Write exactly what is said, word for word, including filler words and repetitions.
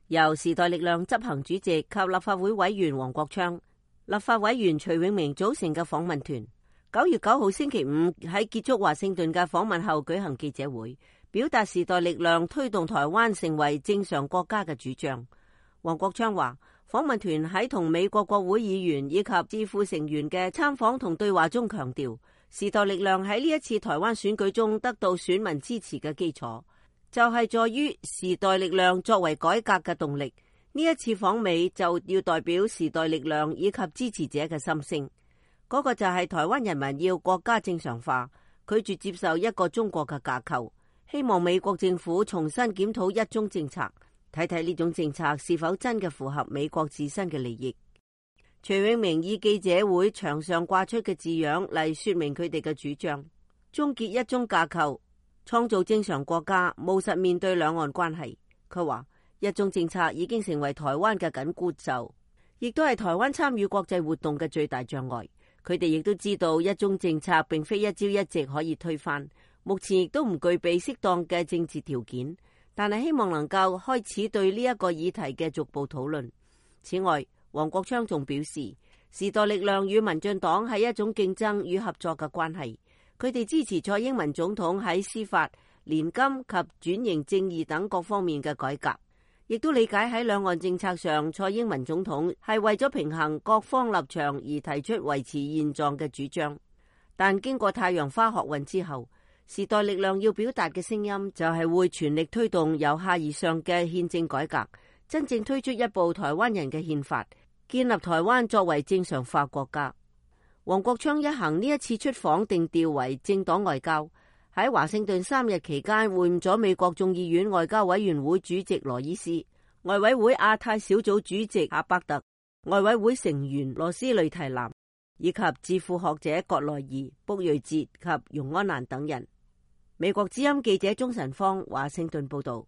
由時代力量執行主席及立法會委員黃國昌、立法委員徐永明組成嘅訪問團，九月九號星期五喺結束華盛頓嘅訪問後舉行記者會，表達時代力量推動台灣成為正常國家嘅主張。黃國昌話，訪問團喺同美國國會議員以及智庫成員嘅參訪同對話中強調，時代力量喺呢一次台灣選舉中得到選民支持嘅基礎，就係在於時代力量作為改革嘅動力。呢一次訪美就要代表時代力量以及支持者嘅心聲，嗰、那個就係台灣人民要國家正常化，拒絕接受一個中國嘅架構，希望美國政府重新檢討一中政策，睇睇呢種政策是否真嘅符合美國自身嘅利益。徐永明以記者會牆上掛出嘅字樣嚟說明佢哋嘅主張，終結一中架構，創造正常國家，務實面對兩岸關係。佢話一中政策已經成為台灣嘅緊箍咒，亦都係台灣參與國際活動嘅最大障礙。佢哋亦都知道一中政策並非一朝一夕可以推翻，目前亦都唔具備適當嘅政治條件，但係希望能夠開始對呢一個議題嘅逐步討論。此外，黃國昌仲表示，時代力量與民進黨係一種競爭與合作嘅關係。佢哋支持蔡英文總統喺司法、年金及轉型正義等各方面嘅改革，亦都理解喺兩岸政策上，蔡英文總統係為咗平衡各方立場而提出維持現狀嘅主張。但經過太陽花學運之後，時代力量要表達嘅聲音就係會全力推動由下而上嘅憲政改革，真正推出一部台灣人嘅憲法，建立台灣作為正常化國家。黃國昌一行呢一次出訪定調為政黨外交，喺華盛頓三日期間會晤咗美國眾議院外交委員會主席羅伊斯、外委會亞太小組主席阿伯特、外委會成員羅斯雷提南以及智庫學者葛內爾、卜瑞哲及容安蘭等人。美國之音記者鍾晨芳華盛頓報道。